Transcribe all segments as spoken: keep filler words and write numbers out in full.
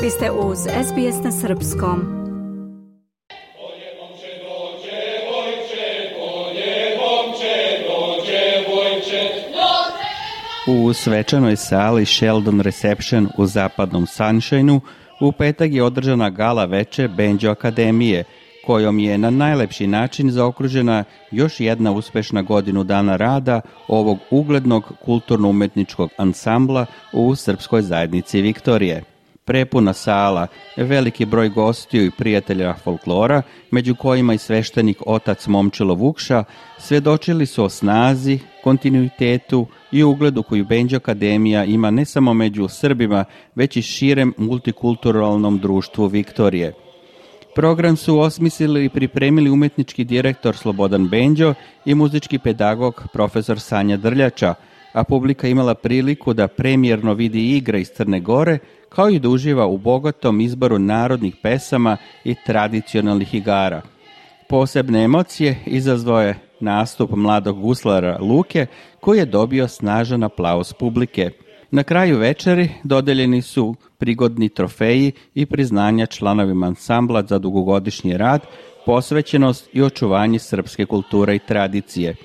Vi ste uz S B S na srpskom. U svečanoj sali Sheldon Reception u zapadnom Sunshineu u petak je održana gala veče Banjo Akademije, kojom je na najlepši način zaokružena još jedna uspešna godinu dana rada ovog uglednog kulturno-umetničkog ansambla u srpskoj zajednici Viktorije. Prepuna sala, veliki broj gostiju i prijatelja folklora, među kojima i sveštenik otac Momčilo Vukša, svedočili su o snazi, kontinuitetu i ugledu koju Banjo Akademija ima ne samo među Srbima, već i širem multikulturalnom društvu Viktorije. Program su osmislili i pripremili umetnički direktor Slobodan Benđo i muzički pedagog profesor Sanja Drljača, a publika imala priliku da premijerno vidi igre iz Crne Gore, kao i da uživa u bogatom izboru narodnih pesama i tradicionalnih igara. Posebne emocije izazvao je nastup mladog guslara Luke, koji je dobio snažan aplauz publike. Na kraju večeri dodeljeni su prigodni trofeji i priznanja članovima ansambla za dugogodišnji rad, posvećenost i očuvanje srpske kulture i tradicije.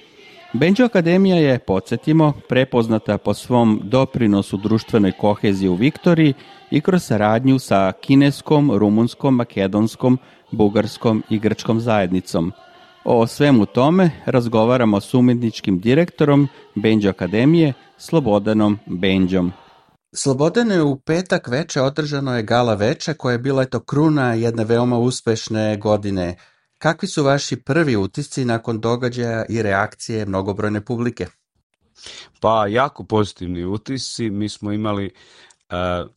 Banjo Akademija je, podsjetimo, prepoznata po svom doprinosu društvenoj koheziji u Viktoriji i kroz saradnju sa kineskom, rumunskom, makedonskom, bugarskom i grčkom zajednicom. O svemu tome razgovaramo s umjetničkim direktorom Banjo Akademije, Slobodanom Benđom. Slobodane, u petak veče održano je gala veče koja je bila eto kruna jedne veoma uspešne godine. Kakvi su vaši prvi utisci nakon događaja i reakcije mnogobrojne publike? Pa jako pozitivni utisci. Mi smo imali uh,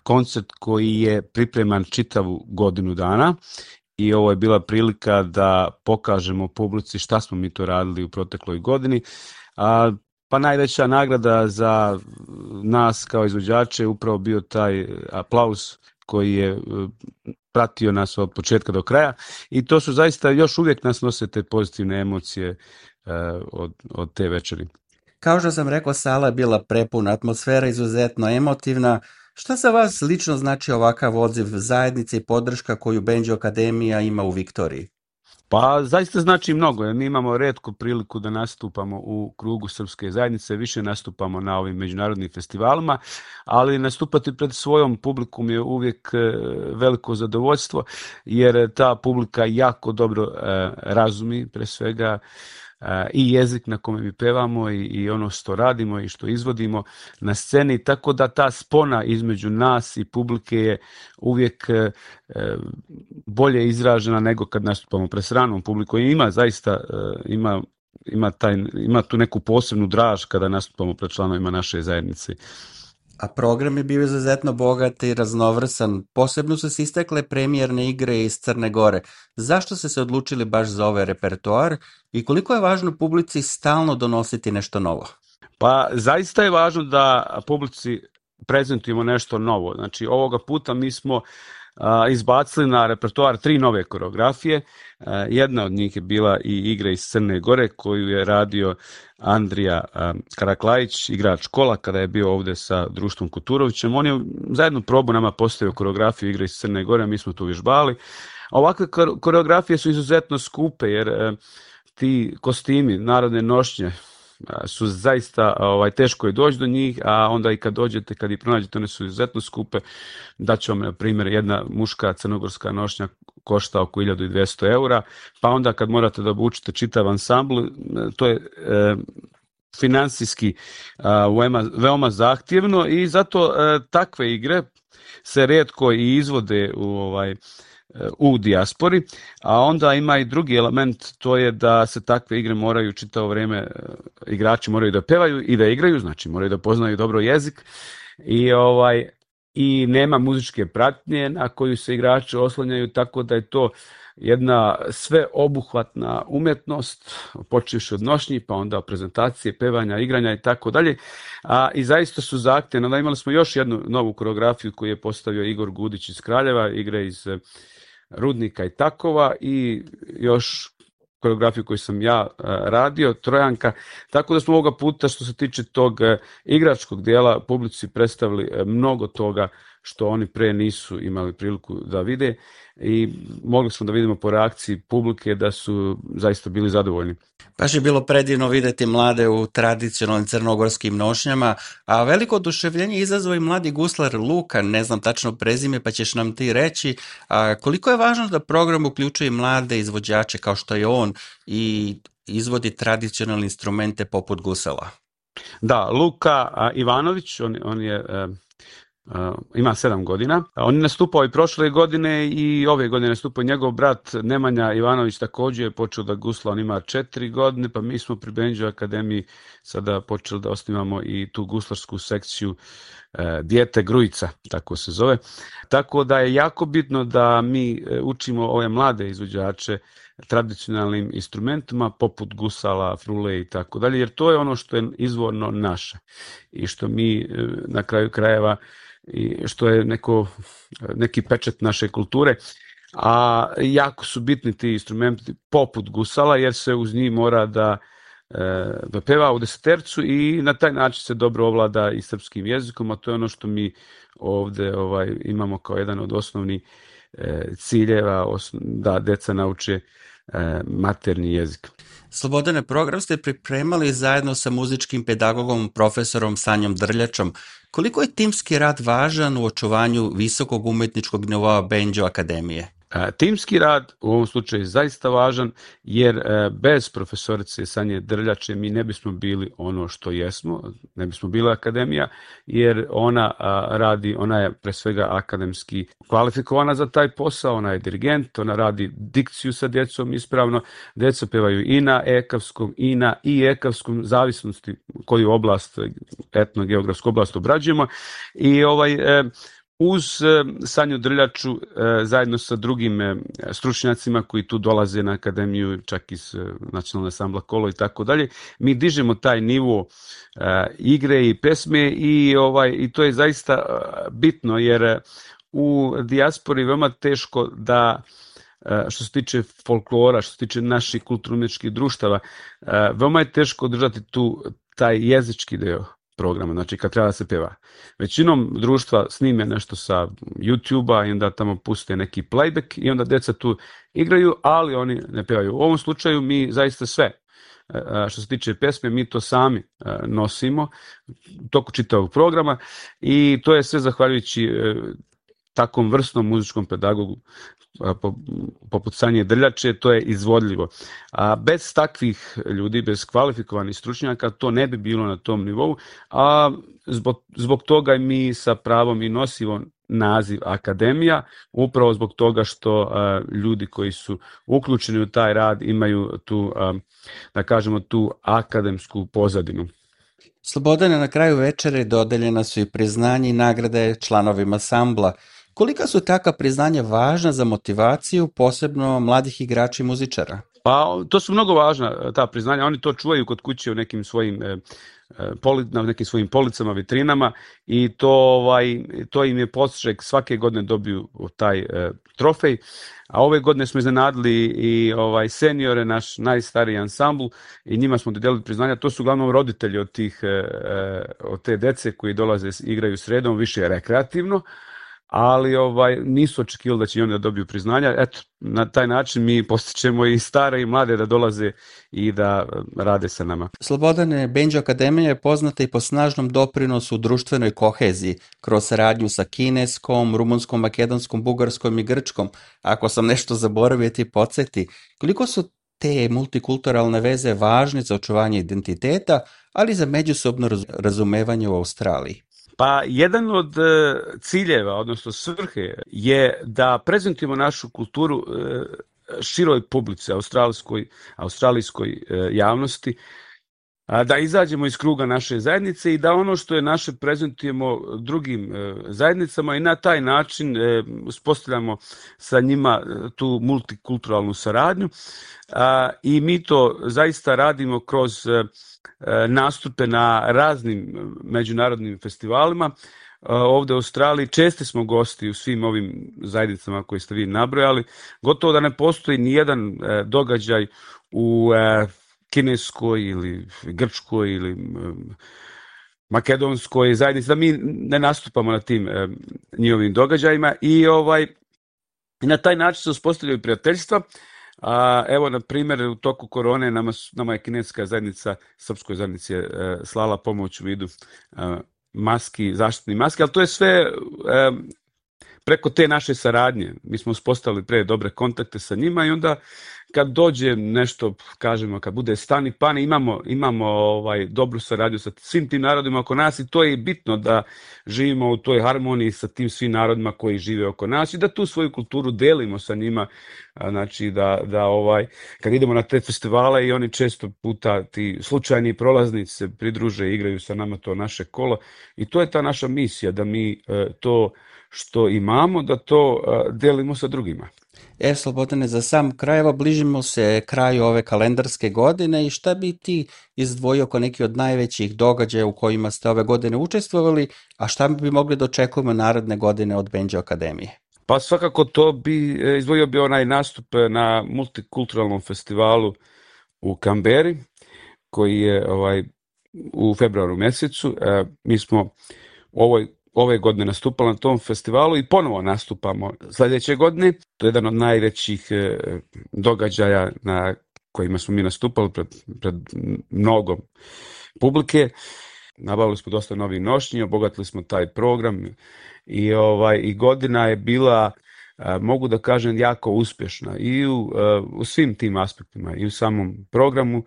koncert koji je pripreman čitavu godinu dana i ovo je bila prilika da pokažemo publici šta smo mi to radili u protekloj godini. Uh, Pa najveća nagrada za nas kao izvođače je upravo bio taj aplauz koji je pratio nas od početka do kraja i to su zaista još uvijek nas nose te pozitivne emocije uh, od, od te večeri. Kao što sam rekao, sala je bila prepuna, atmosfera izuzetno emotivna. Šta za vas lično znači ovakav odziv zajednice i podrška koju Banjo Akademija ima u Viktoriji? Pa zaista znači mnogo. Mi imamo retku priliku da nastupamo u krugu srpske zajednice, više nastupamo na ovim međunarodnim festivalima, ali nastupati pred svojom publikom je uvijek veliko zadovoljstvo, jer ta publika jako dobro razumi pre svega i jezik na kome mi pevamo i, i ono što radimo i što izvodimo na sceni, tako da ta spona između nas i publike je uvijek e, bolje izražena nego kad nastupamo pred stranom publikom. I ima zaista, e, ima, ima, taj, ima tu neku posebnu draž kada nastupamo pred članovima naše zajednice. A program je bio izuzetno bogat i raznovrsan. Posebno su se istekle premijerne igre iz Crne Gore. Zašto ste se odlučili baš za ovaj repertoar i koliko je važno publici stalno donositi nešto novo? Pa zaista je važno da publici prezentujemo nešto novo. Znači ovoga puta mi smo a, izbacili na repertoar tri nove koreografije. A, jedna od njih je bila i igra iz Crne Gore koju je radio Andrija a, Karaklajić, igrač Kola, kada je bio ovde sa društvom Kuturovićem. On je zajedno probu nama postavio koreografiju igre iz Crne Gore, a mi smo tu vježbali. Ovakve koreografije su izuzetno skupe jer a, ti kostimi, narodne nošnje, su zaista ovaj, teško je doći do njih, a onda i kad dođete, kad ih pronađete, one su izuzetno skupe. Daću vam, na primjer, jedna muška crnogorska nošnja košta oko hiljadu dvesta eura, pa onda kad morate da obučite čitav ansambl, to je e, finansijski a, veoma, veoma zahtjevno i zato e, takve igre se rijetko i izvode u ovaj u dijaspori, a onda ima i drugi element, to je da se takve igre moraju čitavo vrijeme, igrači moraju da pevaju i da igraju, znači moraju da poznaju dobro jezik i ovaj i nema muzičke pratnje na koju se igrači oslanjaju, tako da je to jedna sveobuhvatna umjetnost, počevši od nošnji, pa onda prezentacije, pevanja, igranja i tako dalje. A i zaista su zahtjevne. Onda imali smo još jednu novu koreografiju koju je postavio Igor Gudić iz Kraljeva, igre iz Rudnika i Takova i još koreografiju koju sam ja radio, Trojanka, tako da smo ovoga puta što se tiče tog igračkog dijela publici predstavili mnogo toga što oni pre nisu imali priliku da vide i mogli smo da vidimo po reakciji publike da su zaista bili zadovoljni. Baš je bilo predivno videti mlade u tradicionalnim crnogorskim nošnjama, a veliko oduševljenje izazvao i mladi guslar Luka, ne znam tačno prezime pa ćeš nam ti reći, a koliko je važno da program uključuje mlade izvođače kao što je on i izvodi tradicionalne instrumente poput gusala. Da, Luka Ivanović, on, on je... Uh, ima sedam godina. On je nastupao i prošle godine i ove godine nastupao njegov brat Nemanja Ivanović, također je počeo da gusla, on ima četiri godine, pa mi smo pri Benđo Akademiji sada počeli da osnivamo i tu guslarsku sekciju uh, Dijete Grujica, tako se zove. Tako da je jako bitno da mi učimo ove mlade izvođače tradicionalnim instrumentima poput gusala, frule i tako dalje, jer to je ono što je izvorno naše i što mi na kraju krajeva i što je neko, neki pečat naše kulture, a jako su bitni ti instrumenti poput gusala jer se uz njih mora da, da peva u desetercu i na taj način se dobro ovlada i srpskim jezikom, a to je ono što mi ovde ovaj, imamo kao jedan od osnovnih ciljeva da deca nauče maternji jezik. Slobodane, program ste pripremali zajedno sa muzičkim pedagogom profesorom Sanjom Drljačom. Koliko je timski rad važan u očuvanju visokog umetničkog nivoa Benđo Akademije? Timski rad u ovom slučaju je zaista važan jer bez profesorice Sanje Drljače mi ne bismo bili ono što jesmo, ne bismo bili akademija jer ona radi, ona je pre svega akademski kvalifikovana za taj posao, ona je dirigent, ona radi dikciju sa djecom ispravno, djeca pevaju i na ekavskom i na i ekavskom, zavisnosti koju oblast, etnogeografsku oblast obrađujemo i ovaj uz Sanju Drljaču zajedno sa drugim stručnjacima koji tu dolaze na akademiju, čak iz nacionalne ansambla Kolo i tako dalje, mi dižemo taj nivo igre i pesme i ovaj i to je zaista bitno jer u dijaspori veoma teško da što se tiče folklora, što se tiče naših kulturno-umjetničkih društava, veoma je teško održati tu taj jezički deo programa, znači kad treba da se peva. Većinom društva snime nešto sa YouTube-a i onda tamo puste neki playback i onda deca tu igraju, ali oni ne pevaju. U ovom slučaju mi zaista sve, što se tiče pesme, mi to sami nosimo toku čitavog programa i to je sve zahvaljujući takvom vrstnom muzičkom pedagogu poput Sanje Drljače, to je izvodljivo. A bez takvih ljudi, bez kvalifikovanih stručnjaka, to ne bi bilo na tom nivou, a zbog, zbog toga mi sa pravom i nosimo naziv akademija, upravo zbog toga što a, ljudi koji su uključeni u taj rad imaju tu, a, da kažemo, tu akademsku pozadinu. Slobodane, na kraju večere dodeljena su i priznanje i nagrade članovima ansambla. Kolika su taka priznanja važna za motivaciju, posebno mladih igrača i muzičara? Pa to su mnogo važna ta priznanja, oni to čuvaju kod kuće u nekim svojim e, poli, na nekim svojim policama, vitrinama i to ovaj to im je podstrek, svake godine dobiju taj e, trofej. A ove godine smo iznenadili i ovaj seniore, naš najstariji ansambl i njima smo dodelili priznanja. To su uglavnom roditelji od tih e, od te dece koji dolaze igraju sredom, više rekreativno. Ali ovaj nisu očekivali da će oni da dobiju priznanja. Eto, na taj način mi postičemo i stare i mlade da dolaze i da rade sa nama. Slobodane, Benđo Akademija je poznata i po snažnom doprinosu u društvenoj koheziji, kroz saradnju sa kineskom, rumunskom, makedonskom, bugarskom i grčkom. Ako sam nešto zaboravio, ti podsjeti. Koliko su te multikulturalne veze važne za očuvanje identiteta, ali i za međusobno razumevanje u Australiji? Pa jedan od ciljeva, odnosno svrhe, je da prezentujemo našu kulturu široj publici, australijskoj, australijskoj javnosti, da izađemo iz kruga naše zajednice i da ono što je naše prezentujemo drugim zajednicama i na taj način uspostavljamo sa njima tu multikulturalnu saradnju. I mi to zaista radimo kroz nastupe na raznim međunarodnim festivalima. Ovde u Australiji česti smo gosti u svim ovim zajednicama koje ste vi nabrojali. Gotovo da ne postoji ni jedan događaj u Kineskoj ili Grčkoj ili makedonskoj zajednici, da mi ne nastupamo na tim e, njihovim događajima i ovaj i na taj način se uspostavljaju prijateljstva. A, evo, na primjer, u toku korone nama, nama je kineska zajednica, srpskoj zajednici je e, slala pomoć u vidu e, maski, zaštitni maski, ali to je sve e, preko te naše saradnje. Mi smo uspostavili pre dobre kontakte sa njima i onda kad dođe nešto, kažemo, kad bude stani pani, imamo, imamo ovaj, dobru saradnju sa svim tim narodima oko nas i to je bitno da živimo u toj harmoniji sa tim svim narodima koji žive oko nas i da tu svoju kulturu delimo sa njima, znači da, da ovaj, kad idemo na te festivale i oni često puta ti slučajni prolaznici se pridruže i igraju sa nama to naše kolo i to je ta naša misija, da mi to što imamo, da to delimo sa drugima. E, Slobodane, za sam kraj, evo bližimo se kraju ove kalendarske godine i šta bi ti izdvojio kao neki od najvećih događaja u kojima ste ove godine učestvovali, a šta bi mogli da očekujemo naredne godine od Banjo Akademije? Pa svakako to bi izdvojio bi onaj nastup na multikulturalnom festivalu u Kamberi, koji je ovaj, u februaru mesecu. E, mi smo u ovoj ove godine nastupali na tom festivalu i ponovo nastupamo sledeće godine. To je jedan od najvećih e, događaja na kojima smo mi nastupali pred, pred mnogo publike. Nabavili smo dosta novih nošnji, obogatili smo taj program i, ovaj, i godina je bila, e, mogu da kažem, jako uspješna i u, e, u svim tim aspektima, i u samom programu,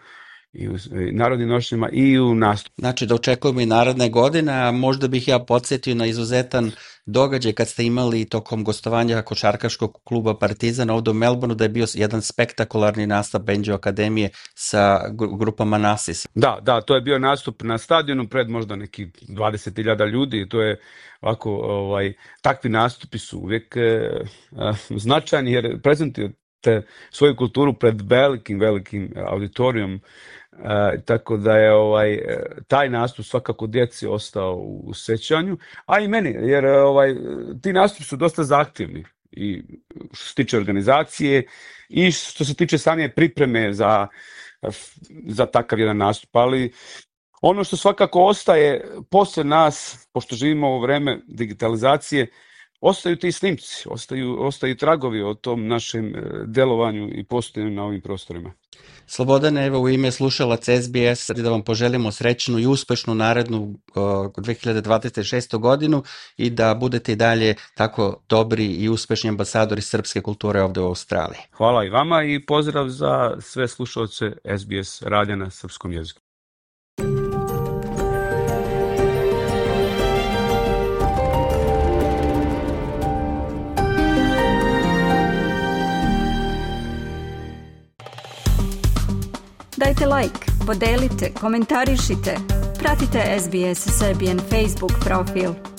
i u narodnim nošnjama i u nastupu. Znači da očekujemo i naredne godine, a možda bih ja podsjetio na izuzetan događaj kad ste imali tokom gostovanja košarkaškog kluba Partizan ovde u Melbourneu, da je bio jedan spektakularni nastup Banjo Akademije sa grupama Nasis. Da, da, to je bio nastup na stadionu pred možda nekih dvadeset hiljada ljudi i to je ovako, ovaj, takvi nastupi su uvijek eh, značajni jer prezentuju te svoju kulturu pred velikim, velikim auditorijom. E, tako da je ovaj taj nastup svakako djeci ostao u sećanju, a i meni, jer ovaj ti nastupi su dosta zahtjevni i što se tiče organizacije i što se tiče same pripreme za, za takav jedan nastup, ali ono što svakako ostaje posle nas, pošto živimo u vreme digitalizacije, ostaju ti snimci, ostaju, ostaju tragovi o tom našem delovanju i postojanju na ovim prostorima. Slobodane, evo u ime slušalaca S B S da vam poželimo srećnu i uspešnu narednu dve hiljade dvadeset šestu godinu i da budete i dalje tako dobri i uspešni ambasadori srpske kulture ovde u Australiji. Hvala i vama i pozdrav za sve slušalce S B S radija na srpskom jeziku. Dajte like, podelite, komentarišite, pratite S B S Serbian Facebook profil.